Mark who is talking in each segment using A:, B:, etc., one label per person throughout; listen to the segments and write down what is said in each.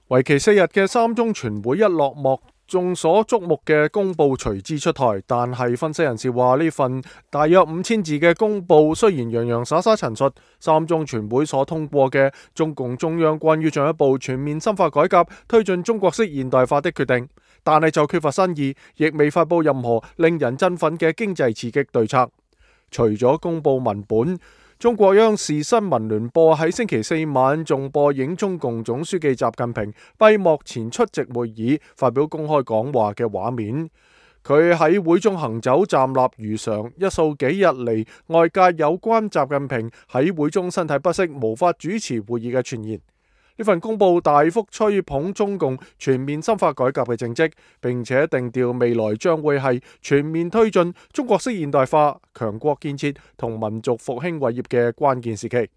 A: 為期4日嘅三中全會一落幕，眾所矚目嘅公報隨之出台。但係分析人士話，呢份大約5000字嘅公報雖然洋洋灑灑陳述三中全會所通過嘅中共中央關於進一步全面深化改革、推進中國式現代化的決定，但係就缺乏新意，亦未發佈任何令人振奮嘅經濟刺激對策。除咗公報文本，中國央視新聞聯播喺星期4晚仲播映中共總書記習近平閉幕前出席會議發表公開講話嘅畫面。佢喺會中行走站立如常，一掃幾日嚟外界有關習近平喺會中身體不適無法主持會議嘅傳言。呢份公報大幅吹捧中共全面深化改革嘅政績，並且定調未來將會係全面推進中國式現代化、強國建設同民族復興偉業嘅關鍵時期。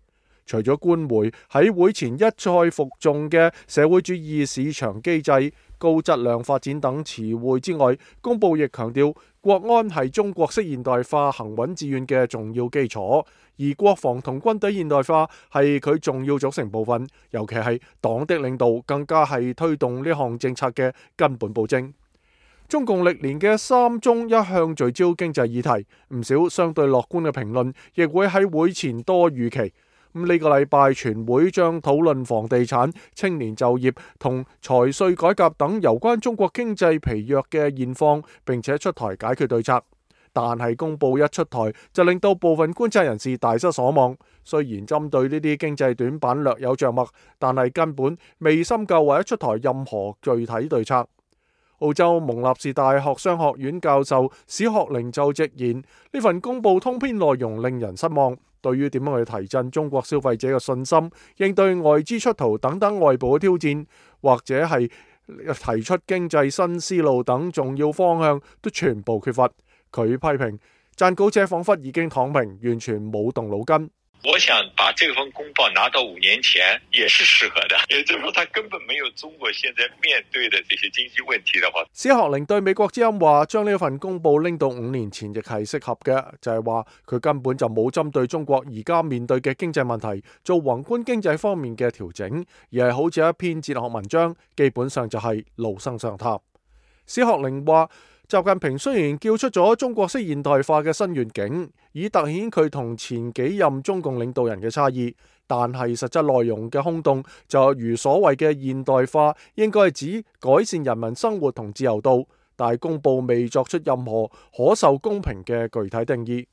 A: 除咗官媒喺會前一再服眾嘅社會主義市場機制、高質量發展等詞彙之外，公報亦強調國安係中國式現代化行穩致遠嘅重要基礎，而國防同軍隊現代化係佢重要組成部分，尤其係黨的領導更加係推動呢項政策嘅根本保證。中共歷年嘅三中一向聚焦經濟議題，唔少相對樂觀嘅評論亦會喺會前多預期。呢個禮拜全會將討論房地產、青年就業同財稅改革等有關中國經濟疲弱嘅現況，並且出台解決對策。但係公報一出台，就令到部分觀察人士大失所望。雖然針對呢啲經濟短板略有着墨，但係根本未深究或者出台任何具體對策。澳洲蒙納士大學商學院教授史學寧就直言，呢份公報通篇內容令人失望。對於點樣去提振中國消費者嘅信心、應對外資出逃等等外部嘅挑戰，或者係提出經濟新思路等重要方向，都全部缺乏。佢批評撰稿者彷彿已經躺平，完全冇動腦筋。
B: 我想把這份公報拿到5年前也是適合的，也就是說，他根本沒有中國現在面對的這些經濟問題的話。
A: 史學寧對美國之音話，將呢份公報拎到5年前亦係適合嘅，就係話佢根本就冇針對中國而家面對嘅經濟問題做宏觀經濟方面嘅調整，而係好似一篇哲學文章，基本上就係老生常談。史學寧話，習近平雖然叫出咗中國式現代化嘅新願景，以凸顯佢同前幾任中共領導人嘅差異，但係實質內容嘅空洞就如所謂嘅現代化應該係指改善人民生活同自由度，但係公報未作出任何可受公平嘅具體定義。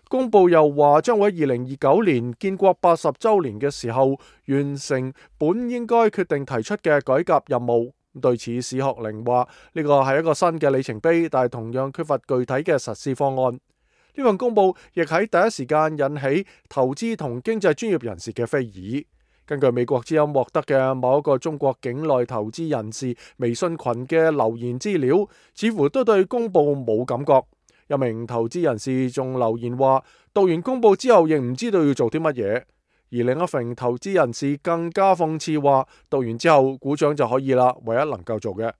A: 公報又話將會喺2029年建國80週年嘅時候完成本應該決定提出嘅改革任務。對此，史學寧話呢個係一個新嘅里程碑，但係同樣缺乏具體嘅實施方案。呢份公報亦喺第一時間引起投資同經濟專業人士嘅非議。根據美國之音獲得嘅某一個中國境內投資人士微信群嘅留言資料，似乎都對公報冇感覺。一名投資人士仲留言話，讀完公報之後亦唔知道要做啲乜嘢。而另一名投資人士更加諷刺話，讀完之後鼓掌就可以啦，唯一能夠做嘅。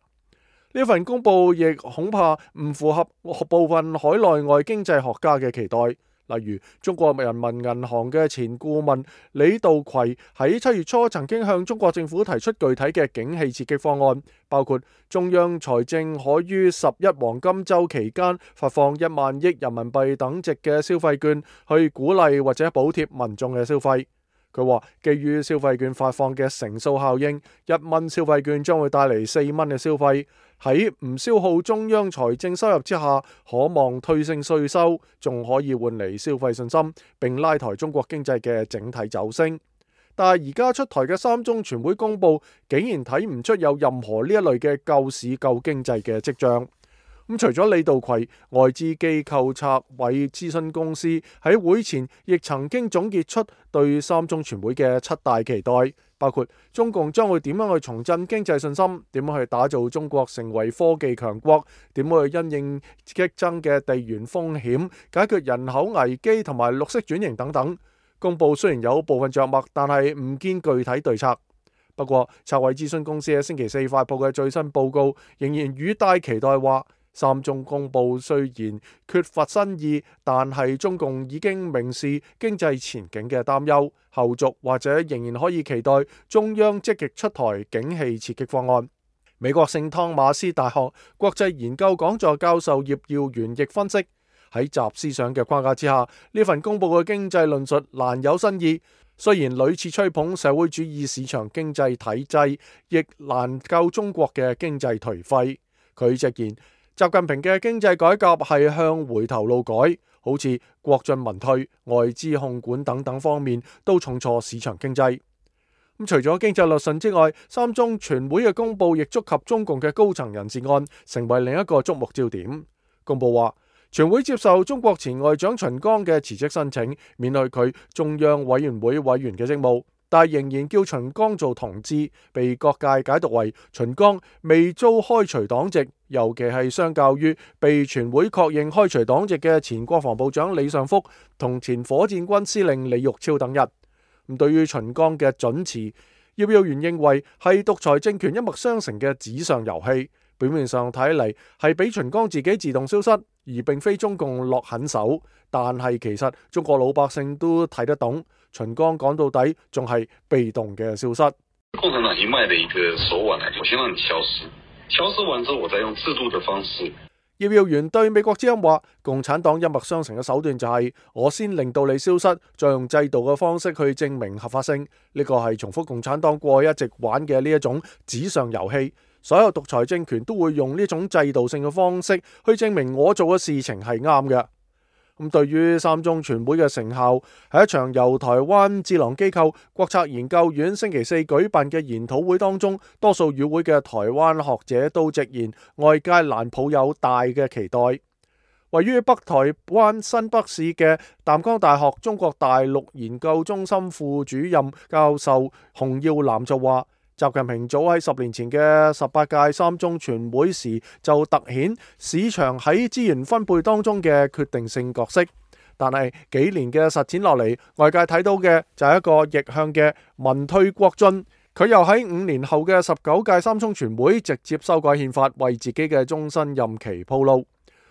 A: 呢份公報亦恐怕唔符合部分海內外經濟學家嘅期待，例如中國人民銀行嘅前顧問李稻葵喺7月初曾經向中國政府提出具體嘅景氣刺激方案，包括中央財政可於11黃金週期間發放1萬億人民幣等值嘅消費券，去鼓勵或者補貼民眾嘅消費。佢話，基於消費券發放嘅乘數效應，1蚊消費券將會帶嚟4蚊嘅消費，喺唔消耗中央財政收入之下，可望推升稅收，仲可以換嚟消費信心，並拉抬中國經濟嘅整體走升。但係而家出台嘅三中全會公報，竟然睇唔出有任何呢一類嘅救市救經濟嘅跡象。除咗李稻葵，外資機構策委諮詢公司喺會前亦曾經總結出對三中全會嘅7大期待，包括中共將會點樣去重振經濟信心，點樣去打造中國成為科技強國，點樣去因應激增嘅地緣風險，解決人口危機同埋綠色轉型等等。公報雖然有部分着墨，但係唔見具體對策。不過策委諮詢公司喺星期4發佈嘅最新報告，仍然語帶期待話，三中公報雖然缺乏新意，但係中共已經明示經濟前景嘅擔憂，後續或者仍然可以期待中央積極出台景氣刺激方案。美國聖湯馬斯大學國際研究講座教授葉耀元亦分析，喺習思想嘅框架之下，呢份公佈嘅經濟論述難有新意。雖然屢次吹捧社會主義市場經濟體制，亦難救中國嘅經濟頹廢。佢直言，習近平嘅經濟改革係向回頭路改，好似國進民退、外資控管等等方面都重挫市場經濟。除咗經濟律順之外，三中全會嘅公佈亦觸及中共嘅高層人事案，成為另一個矚目焦點。公佈話，全會接受中國前外長秦剛嘅辭職申請，免去佢中央委員會委員嘅職務，但仍然叫秦剛做同志，被各界解讀為秦剛未遭開除黨籍，尤其係相較於被全會確認開除黨籍嘅前國防部長李尚福同前火箭軍司令李玉超等人。對於秦剛嘅准辭，葉耀元認為係獨裁政權一脈相承嘅紙上遊戲，表面上睇嚟係俾秦剛自己自動消失，而並非中共落狠手。但係其實中國老百姓都睇得懂，秦剛講到底仲係被動嘅消失。
C: 共產黨一脈的一個手腕嚟，我先讓你消失，消失完之後，我再用制度的方式。
A: 葉耀元對美國之音話，共產黨一脈相承嘅手段就係我先令到你消失，再用制度嘅方式去證明合法性。呢個係重複共產黨過去一直玩嘅呢一種紙上遊戲。所有獨裁政權都會用呢種制度性嘅方式去證明我做嘅事情係啱嘅。對於三中全會嘅成效，喺一場由台灣智囊機構國策研究院星期四舉辦嘅研討會當中，多數與會嘅台灣學者都直言，外界難抱有大嘅期待。位於北台灣新北市嘅淡江大學中國大陸研究中心副主任教授洪耀南就話，習近平早喺10年前嘅18屆三中全會時就突顯市場喺資源分配當中嘅決定性角色，但係幾年嘅實踐落嚟，外界睇到嘅就係一個逆向嘅民退國進。佢又喺5年後嘅19屆三中全會直接修改憲法，為自己嘅終身任期鋪路。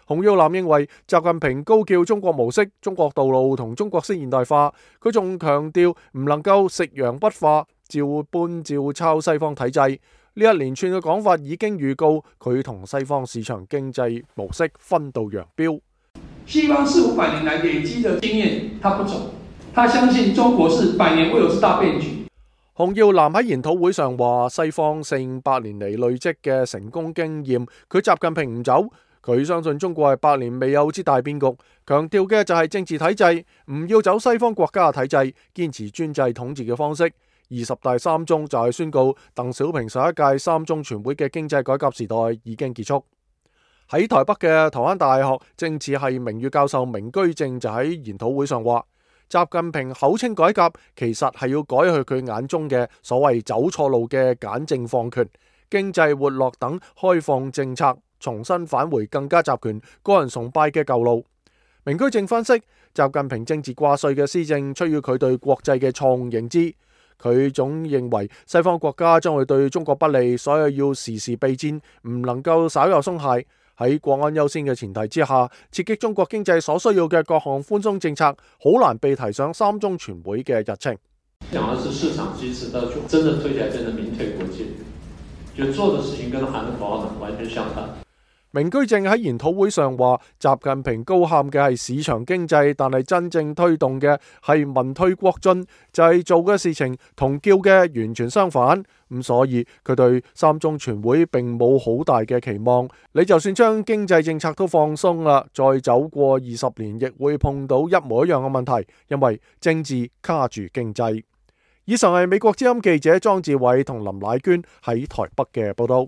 A: 洪耀南認為，習近平高叫中國模式、中國道路同中國式現代化，佢仲強調唔能夠食洋不化，照搬照抄西方體制。呢一連串嘅講法已經預告佢同西方市場經濟模式分道揚鑣。
D: 西方400-500年來累積的經驗，他不走，他相信中國是100年未有之大變局。
A: 洪耀南喺研討會上話，西方400-500年嚟累積嘅成功經驗，佢習近平唔走。佢相信中國係100年未有之大變局，強調嘅就係政治體制，唔要走西方國家嘅體制，堅持專制統治嘅方式。20大三中就係宣告鄧小平上一屆三中全會嘅經濟改革時代已經結束。喺台北嘅台灣大學政治系名譽教授明居正就喺研討會上話，習近平口稱改革，其實係要改去佢眼中嘅所謂走錯路嘅簡政放權、經濟活絡等開放政策，重新返回更加集權、個人崇拜嘅舊路。明居正分析，習近平政治掛帥嘅施政出於佢對國際嘅錯誤認知，佢總認為西方國家將會對中國不利，所以要時時備戰，唔能夠稍有鬆懈。喺國安優先嘅前提之下，刺激中國經濟所需要嘅各項寬鬆政策，好難被提上三中全會嘅日程。
E: 講的是市場機制，到真正推起來，真的民退國進，就做的事情跟喊的口號完全相反。
A: 明居正喺研討會上話，習近平高喊嘅係市場經濟，但係真正推動嘅係民退國進，就係做嘅事情同叫嘅完全相反。咁所以佢對三中全會並冇好大嘅期望。你就算將經濟政策都放鬆啦，再走過20年，亦會碰到一模一樣嘅問題，因為政治卡住經濟。以上係美國之音記者莊志偉同林乃娟喺台北嘅報道。